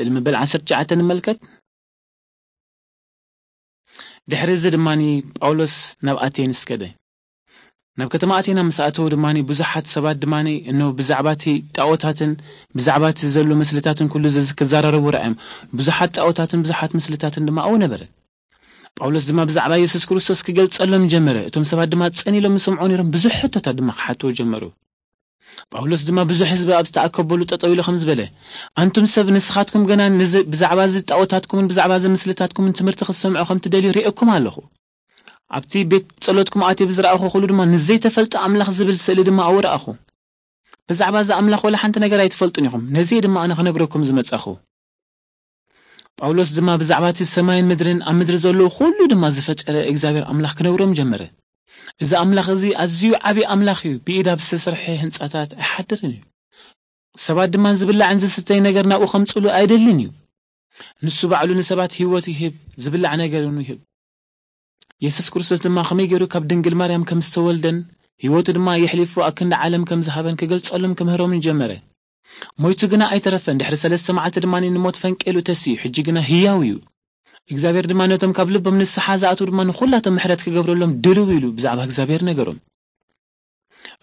ንቕጽል። መበል ዓሰርተ ትሽዓተ ንመልከት። ድሕሪ እዚ ድማ ጳውሎስ ናብ ኣቴንስ ከደ። ናብ ከተማ ኣቴና ምስ ኣተዉ ድማ ብዙሓት ሰባት ድማ እነሆ ብዛዕባ እቲ ጣዖታትን ብዛዕባ እቲ ዘሎ ምስልታትን ኩሉ ዘዝ- ክዘራረቡ ረኣዮም። ብዙሓት ጣዖታትን ብዙሓት ምስልታትን ድማ ኣብኡ ነበረ። ጳውሎስ ድማ ብዛዕባ የሱስ ክርስቶስ ክገልጸሎም ጀመረ። እቶም ሰባት ድማ ጸን ኢሎም ይሰምዑ ነይሮም። ብዙሕ ሕቶታት ድማ ክሓትዎ ጀመሩ። ጳውሎስ ድማ ብዙሕ ህዝቢ ኣብ ዝተኣከበሉ ጠጠው ኢሉ ከም ዝበለ፣ ኣንቱም ሰብ፣ ንስኻትኩም ገና ንዚ- ብዛዕባ እዚ ጣዖታትኩምን ብዛዕባ እዚ ምስልታትኩምን ትምህርቲ ክትሰምዑ ከም ትደልዩ ርእየኩም ኣለኹ። ኣብቲ ቤት ጸሎትኩም ኣትየ ብዝረኣኹ ኩሉ ድማ ንዘይተፈልጠ ኣምላኽ ዝብል ስእሊ ድማ ኣብኡ ረኣኹ። ብዛዕባ እዚ ኣምላኽ ወላ ሓንቲ ነገር ኣይትፈልጡን ኢኹም። ነዚ ድማ ኣነ ክነግረኩም ዝመጻኹ። ጳውሎስ ድማ ብዛዕባ እቲ ሰማይን ምድርን ኣብ ምድሪ ዘለዉ ኩሉ ድማ ዝፈጠረ እግዚኣብሔር ኣምላኽ ክነግሮም ጀመረ። እዚ ኣምላኽ እዚ ኣዝዩ ዓብዪ ኣምላኽ እዩ። ብኢድ ኣብ ዝተሰርሐ ህንጻታት ኣይሓድርን እዩ። ሰባት ድማ ዝብላዕን ዝስተይ ነገር ናብኡ ከምጽሉ ኣይደልን እዩ። ንሱ ባዕሉ ንሰባት ህይወት ይህብ፣ ዝብላዕ ነገር እውን ይህብ። የሱስ ክርስቶስ ድማ ከመይ ገይሩ ካብ ድንግል ማርያም ከም ዝተወልደን ህይወቱ ድማ የሕሊፉ ኣብ ክንዲ ዓለም ከም ዝሃበን ክገልጸሎም ክምህሮምን ጀመረ። ሞይቱ ግና ኣይተረፈን። ድሕሪ ሰለስተ መዓልቲ ድማ ንሞት ፈንቄሉ ተሲኡ፣ ሕጂ ግና ህያው እዩ። እግዚኣብሔር ድማ ነቶም ካብ ልቦም ንስሓ ዝኣትዉ ድማ ንኹላቶም ምሕረት ክገብረሎም ድልው ኢሉ ብዛዕባ እግዚኣብሔር ነገሮም።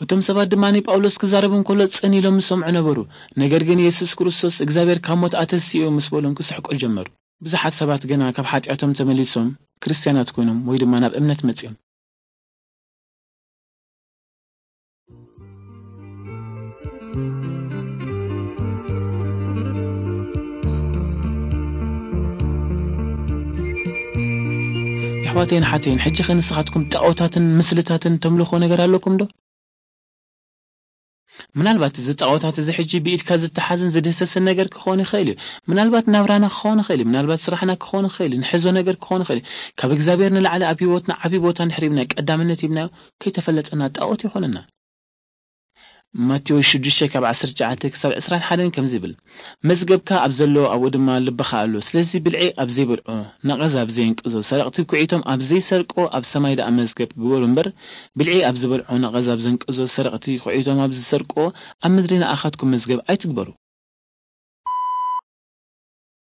እቶም ሰባት ድማ ንጳውሎስ ክዛረብ እንከሎ ጽን ኢሎም ይሰምዑ ነበሩ። ነገር ግን የሱስ ክርስቶስ እግዚኣብሔር ካብ ሞት ኣተሲኡ ምስ በሎም ክስሕቁ ጀመሩ። ብዙሓት ሰባት ግና ካብ ሓጢኣቶም ተመሊሶም ክርስትያናት ኮይኖም ወይ ድማ ናብ እምነት መጺኦም። የሕዋተይን ሓተይን፣ ሕጂ ኸ ንስኻትኩም ጣዖታትን ምስልታትን ተምልኾ ነገር ኣለኩም ዶ? ምናልባት እዚ ጣዖታት እዚ ሕጂ ብኢድካ ዝተሓዝን ዝድህሰስን ነገር ክኸውን ይኽእል እዩ። ምናልባት ናብራና ክኸውን ይኽእል እዩ። ምናልባት ስራሕና ክኸውን ይኽእል እዩ። ንሕዞ ነገር ክኸውን ይኽእል እዩ። ካብ እግዚኣብሔር ንላዕሊ ኣብ ህይወትና ዓብዪ ቦታ እንድሕር ሂብና፣ ቀዳምነት ሂብናዮ፣ ከይተፈለጠና ጣዖት ይኾነና። ማቴዎስ ሽዱሽተ ካብ ዓሰርተ ትሽዓተ ክሳብ ዕስራን ሓደን ከምዚ ይብል፣ መዝገብካ ኣብ ዘሎ ኣብኡ ድማ ልብኻ ኣሎ። ስለዚ ብልዒ ኣብ ዘይበልዖ፣ ነቐዝ ኣብ ዘየንቅዞ፣ ሰረቕቲ ኩዒቶም ኣብ ዘይሰርቆ ኣብ ሰማይ ደኣ መዝገብ ግበሩ እምበር፣ ብልዒ ኣብ ዝበልዖ፣ ነቐዝ ኣብ ዘንቅዞ፣ ሰረቕቲ ኩዒቶም ኣብ ዝሰርቆ ኣብ ምድሪ ንኣኻትኩም መዝገብ ኣይትግበሩ።